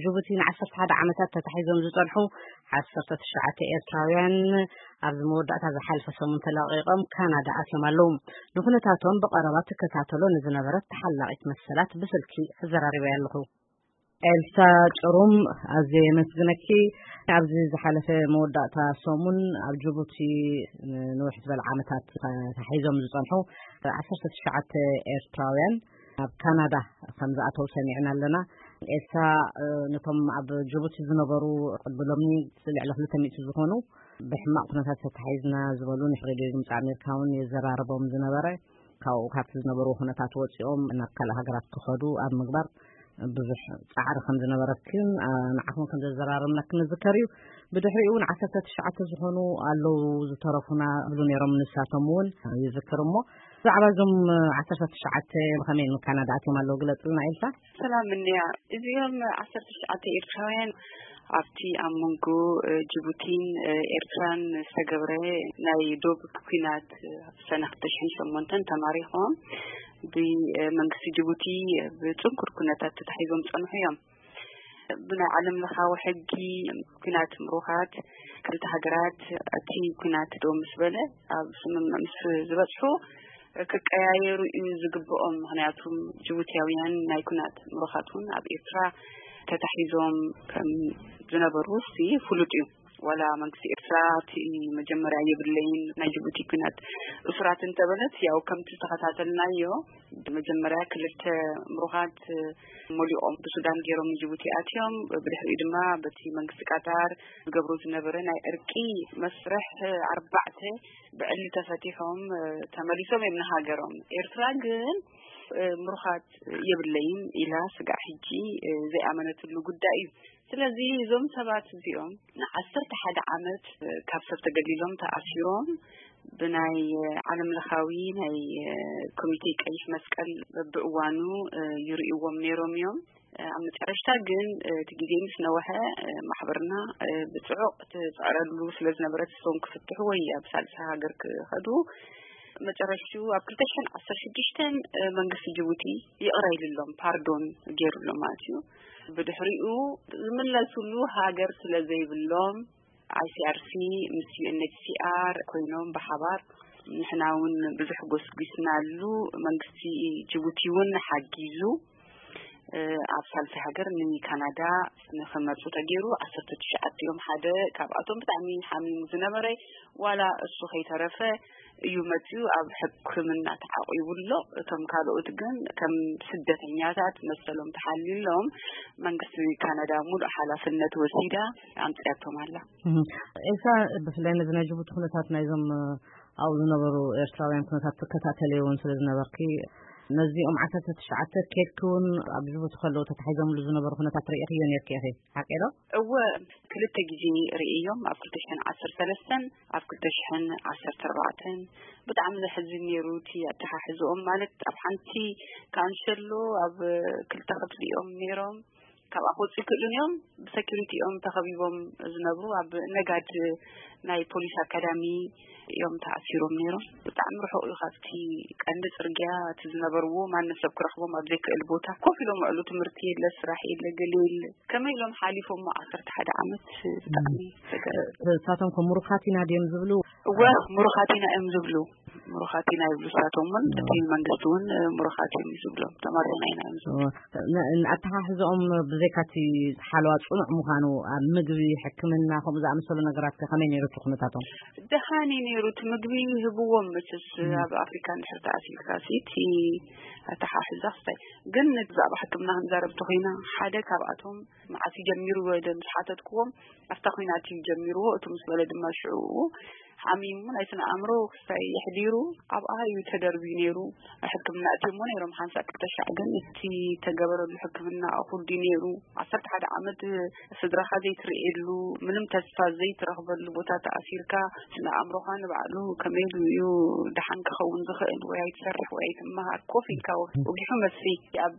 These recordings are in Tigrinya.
ጅቡቲ ንዓሰርተ ሓደ ዓመታት ተታሒዞም ዝጸንሑ ዓሰርተ ትሽዓተ ኤርትራውያን ኣብዚ መወዳእታ ዝሓለፈ ሰሙን ተለቒቖም ካናዳ ኣትዮም ኣለዉ። ንኩነታቶም ብቐረባ ትከታተሎ ንዝነበረት ተሓላቒት መሰላት ብስልኪ ኣዘራሪበያ ኣለኹ። ኤልሳ ጭሩም፣ ኣዝየ የመስግነኪ። ኣብዚ ዝሓለፈ መወዳእታ ሰሙን ኣብ ጅቡቲ ንንውሕ ዝበለ ዓመታት ተታሒዞም ዝጸንሑ ዓሰርተ ትሽዓተ ኤርትራውያን ኣብ ካናዳ ከም ዝኣተው ሰሚዕና ኣለና። ኤልሳ፣ እ፣ ነቶም ኣብ ጅቡቲ ዝነበሩ ቅድሚ ሎሚ ልዕሊ ክልተ ሚእቲ ዝኾኑ ብሕማቕ ኩነታት ተታሒዝና ዝበሉ ንሬድዮ ድምፂ ኣሜሪካ እውን የዘራርቦም ዝነበረ፣ ካብኡ ካብቲ ዝነበሩ ኩነታት ወፂኦም ናብ ካልእ ሃገራት ክኸዱ ኣብ ምግባር ብዙሕ ጻዕሪ ከም ዝነበረክን፣ እ፣ ንዓኹም ከም ዘዘራረብናክን ንዝከር እዩ። ብድሕሪኡ እውን ዓሰርተ ትሽዓተ ዝኾኑ ኣለዉ ዝተረፉና ይብሉ ነይሮም፣ ንሳቶም እውን ይዝክር። እሞ ብዛዕባ እዞም ዓሰርተ ትሽዓተ ብኸመይ ንካናዳ ኣትዮም ኣለዉ ግለጽልና ኢልካ? ሰላም እንያ። እዚኦም ዓሰርተ ትሽዓተ ኤርትራውያን ኣብቲ ኣብ መንጎ፣ እ፣ ጅቡቲን፣ እ፣ ኤርትራን ዝተገብረ ናይ ዶብ ኲናት፣ እ፣ ሰነ ክልተ ሽሕን ሸሞንተን ተማሪኾም ብመንግስቲ ጅቡቲ ብጽንኩር ኩነታት ተታሒዞም ጸንሑ እዮም። ብናይ ዓለም ለኻዊ ሕጊ ኲናት ምሩኻት ክልተ ሃገራት እቲ ኲናት ደው ምስ በለ ኣብ ስምምዕ ምስ ዝበጽሑ ክቀያየሩ እዩ ዝግብኦም። ምኽንያቱም ጅቡትያውያን ናይ ኲናት ምሩኻት እውን ኣብ ኤርትራ ተታሒዞም ከም ዝነበሩ ሲ ፍሉጥ እዩ። ዋላ መንግስቲ ኤርትራ እቲ መጀመርያ የብለይን ናይ ጅቡቲ ኲናት እሱራት እንተበለት፣ ያው ከምቲ ዝተኸታተልናዮ መጀመርያ ክልተ ምሩኻት መሊቖም ብሱዳን ገይሮም ንጅቡቲ ኣትዮም፣ ብድሕሪኡ ድማ በቲ መንግስቲ ቃጣር ዝገብሮ ዝነበረ ናይ ዕርቂ መስርሕ ኣርባዕተ ብዕሊ ተፈቲሖም፣ እ፣ ተመሊሶም እዮም ንሃገሮም። ኤርትራ ግን፣ እ፣ ምሩኻት የብለይን ኢላ ስጋዕ ሕጂ፣ እ፣ ዘይኣመነትሉ ጉዳይ እዩ። ስለዚ እዞም ሰባት እዚኦም ንዓሰርተ ሓደ ዓመት፣ እ፣ ካብ ሰብ ተገሊሎም ተኣሲሮም ብናይ፣ እ፣ ዓለም ለኻዊ ናይ፣ እ፣ ኮሚቴ ቀይሕ መስቀል በብእዋኑ፣ እ፣ ይርእይዎም ነይሮም እዮም። ኣብ መጨረሽታ ግን፣ እ፣ እቲ ግዜ ምስ ነወሐ፣ እ፣ ማሕበርና፣ እ፣ ብጽዑቕ ትጽዕረሉ ስለ ዝነበረት እሶም ክፍትሑ ወይ ኣብ ሳልሳይ ሃገር ክኸዱ መጨረሽቱ ኣብ ክልተ ሽሕን ዓሰርተ ሽዱሽተን፣ እ፣ መንግስቲ ጅቡቲ ይቕረ ኢሉሎም፣ ፓርዶን ገይሩሎም ማለት እዩ። ብድሕሪኡ ዝምለሱሉ ሃገር ስለ ዘይብሎም፣ ኣይ ሲ ኣር ሲ ምስ ዩ ኤን ኤች ሲ ኣር ኮይኖም ብሓባር ንሕና እውን ብዙሕ ጎስጒስናሉ፣ መንግስቲ ጅቡቲ እውን ሓጊዙ፣ እ፣ ኣብ ሳልሳይ ሃገር ንካናዳ ንክመፁ ተገይሩ። ዓሰርተ ትሽዓተ እዮም። ሓደ ካብኣቶም ብጣዕሚ ሓሚሙ ዝነበረ፣ ዋላ እሱ ከይተረፈ እዩ መፅዩ ኣብ ሕክምና ተዓቂቡ ኣሎ። እቶም ካልኦት ግን ከም ስደተኛታት መሰሎም ተሓልዩሎም መንግስቲ ካናዳ ሙሉእ ሓላፍነት ወሲዳ ኣምፅያቶም ኣላ። እህ፣ ኤልሳ፣ ብፍላይ ነዚ ናይ ጅቡቲ ኩነታት ናይዞም ኣብኡ ዝነበሩ ኤርትራውያን ኩነታት ትከታተልዮ እውን ስለ ዝነበርኪ፣ ነዚኦም ዓሰርተ ትሽዓተ ኬድኪ እውን ኣብ ጅቡቲ ከለዉ ተታሒዞምሉ ዝነበሩ ኩነታት ርእኽዮ ነርኪ ኢኺ፣ ሓቂ ዶ? እወ፣ ክልተ ግዜ ርእዮም፣ ኣብ ክልተ ሽሕን ዓሰርተ ሰለስተን ኣብ ክልተ ሽሕን ዓሰርተ ኣርባዕተን። ብጣዕሚ ዘሕዝን ነይሩ እቲ ኣተሓሕዝኦም። ማለት ኣብ ሓንቲ ካንሸሎ ኣብ ክልተ ክፍሊ እዮም ነይሮም። ካብኣ ክወፅኡ ይክእሉን እዮም። ብሰኪሪቲ እዮም ተኸቢቦም ዝነብሩ። ኣብ ነጋድ ናይ ፖሊስ ኣካዳሚ እዮም ተኣሲሮም ነይሮም። ብጣዕሚ ርሑቕ እዩ ካብቲ ቀንዲ ፅርግያ። እቲ ዝነበርዎ ማንም ሰብ ክረኽቦም ኣብ ዘይክእል ቦታ ኮፍ ኢሎም ውዕሉ። ትምህርቲ የለ፣ ስራሕ የለ፣ ገለ የለ። ከመይ ኢሎም ሓሊፎሞ ዓሰርተ ሓደ ዓመት? ብጣዕሚ ዘገርም። ንሳቶም ከ ምሩኻት ኢና ድዮም ዝብሉ? እወ፣ ምሩኻት ኢና እዮም ዝብሉ። ምሩኻት ኢና ይብሉ ንሳቶም እውን፣ እቲ መንግስቲ እውን ምሩኻት እዮም ዝብሎም። ተማሪኽና ኢና እዮም ዝብሉ። እወ። ን-፣ ንኣተሓሕዝኦም ብዘይካ እቲ ሓለዋ ጽኑዕ ምዃኑ፣ ኣብ ምግቢ፣ ሕክምና፣ ከምኡ ዝኣመሰሉ ነገራት ከ ከመይ ነይሩ እቲ ኩነታቶም? ደሓን እዩ ነይሩ። እቲ ምግቢ ይህብዎም መቸስ፣ እም። ኣብ ኣፍሪካ እንድሕር ተኣሲርካ ሲ፣ እቲ ኣተሓሕዛ ክስታይ። ግን ብዛዕባ ሕክምና ክንዛረብ እንተኾይና፣ ሓደ ካብኣቶም መዓስ እዩ ጀሚሩ ኢለ ምስ ሓተትክዎም፣ ኣብታ ኲናት እዩ ጀሚርዎ። እቲ ምስ በለ ድማ ሽዑ ሓሚሙ ናይ ስነ ኣእምሮ ክስታይ የሕዲሩ ኣብኣ እዩ ተደርብዩ ነይሩ። ሕክምና እትሞ ነይሮም ሓንሳእ ክልተ ሻዕ፣ ግን እቲ ተገበረሉ ሕክምና እኹል ድዩ ነይሩ? ዓሰርተ ሓደ ዓመት ስድራኻ ዘይትርእየሉ፣ ምንም ተስፋ ዘይትረኽበሉ ቦታ ተኣሲርካ፣ ስነ ኣእምሮኻ ንባዕሉ ከመይ ኢሉ እዩ ደሓን ክኸውን ዝኽእል? ወይ ኣይትሰርሕ ወይ ኣይትመሃር፣ ኮፍ ኢልካ ወጊሑ መስፊ ኣብ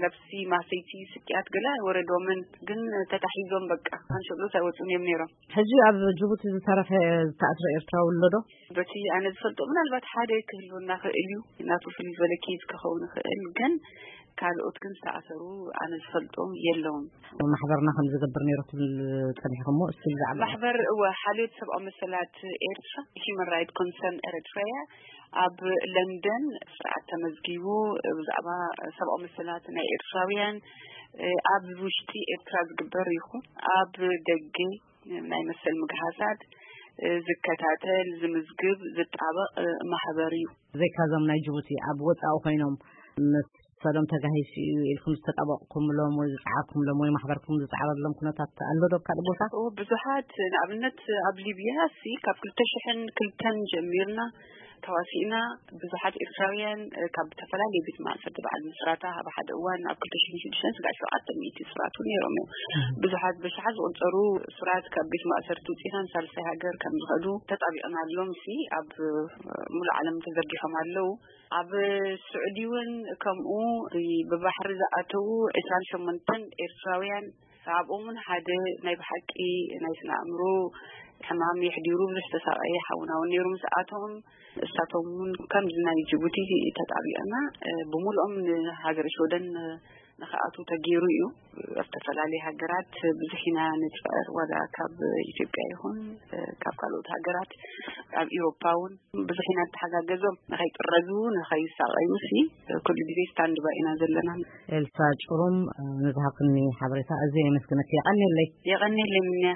ነፍሲ ማሰይቲ ስቅያት ገለ ኣይወረዶምን፣ ግን ተታሒዞም በቃ ካንሸሎት ኣይወፁን እዮም ነይሮም። ሕጂ ኣብ ጅቡቲ ዝተረፈ ዝተኣስረ ኤርትራዊ ኣሎ ዶ? በቲ ኣነ ዝፈልጦ ምናልባት ሓደ ክህልወና ክእል እዩ፣ ናቱ ፍልይ ዝበለ ኬዝ ክኸውን ይኽእል፣ ግን ካልኦት ግን ዝተኣሰሩ ኣነ ዝፈልጦም የለውን። ማሕበርና ከም ዝገብር ነይሩ ትብል ጸኒሕኹሞ? እስቲ ብዛዕባ ማሕበር እወ ሓልዮት ሰብኣዊ መሰላት ኤርትራ፣ Human Rights Concern Eritrea፣ ኣብ ለንደን ስርዓት ተመዝጊቡ ብዛዕባ ሰብኣዊ መሰላት ናይ ኤርትራውያን ኣብ ውሽጢ ኤርትራ ዝግበር ይኹን ኣብ ደገ ናይ መሰል ምግሃሳት ዝከታተል፣ ዝምዝግብ፣ ዝጣበቕ ማሕበር እዩ። ዘይካዞም ናይ ጅቡቲ ኣብ ወጻኢ ኮይኖም መሰሎም ተጋሂሱ እዩ ኢልኩም ዝተጣበቕኩምሎም ወይ ዝጸዓርኩምሎም ወይ ማሕበርኩም ዝጸዓረሎም ኩነታት ኣሎ ዶ ኣብ ካልእ ቦታ? እዎ፣ ብዙሓት፣ ንኣብነት ኣብ ሊብያ ሲ ካብ ክልተ ሽሕን ክልተን ጀሚርና ተዋሲእና ብዙሓት ኤርትራውያን ካብ ዝተፈላለዩ ቤት ማእሰርቲ በዓል ምስራታ ኣብ ሓደ እዋን ኣብ ክልተ ሽሕን ሽዱሽተን ስጋዕ ሸውዓተ ሚእቲ ስርዓቱ ነይሮም እዮም። ብዙሓት ብሽሓት ዝቑጸሩ ስራት ካብ ቤት ማእሰርቲ ውፅኢና ንሳልሳይ ሃገር ከም ዝኸዱ ተጣቢቕናሎም ሲ ኣብ ሙሉእ ዓለም ተዘርጊሖም ኣለዉ። ኣብ ስዑዲ እውን ከምኡ ብባሕሪ ዝኣተዉ ዕስራን ሸሞንተን ኤርትራውያን ኣብኦም እውን ሓደ ናይ ብሓቂ ናይ ስነ ኣእምሮ ሕማም የሕዲሩ ብዙሕ ተሳቀየ ሓውና እውን ነይሩ። ምስ ኣቶም እሳቶም እውን ከምዚ ናይ ጅቡቲ ተጣቢቕና ብሙሉኦም ንሃገረ ሽወደን ንክኣቱ ተገይሩ እዩ። ኣብ ዝተፈላለዩ ሃገራት ብዙሕ ኢና ንፅዕር፣ ዋላ ካብ ኢትዮጵያ ይኹን ካብ ካልኦት ሃገራት ኣብ ኢሮፓ እውን ብዙሕ ኢና ንተሓጋገዞም። ንኸይጥረዙ ንኸይሳቐዩ ሲ ኩሉ ግዜ ስታንድ ባይ ኢና ዘለና። ኤልሳ ጭሩም፣ ንዝሃብክኒ ሓበሬታ ኣዝየ የመስግነኪ። የቐንየለይ። የቐንየለይ ምንያ።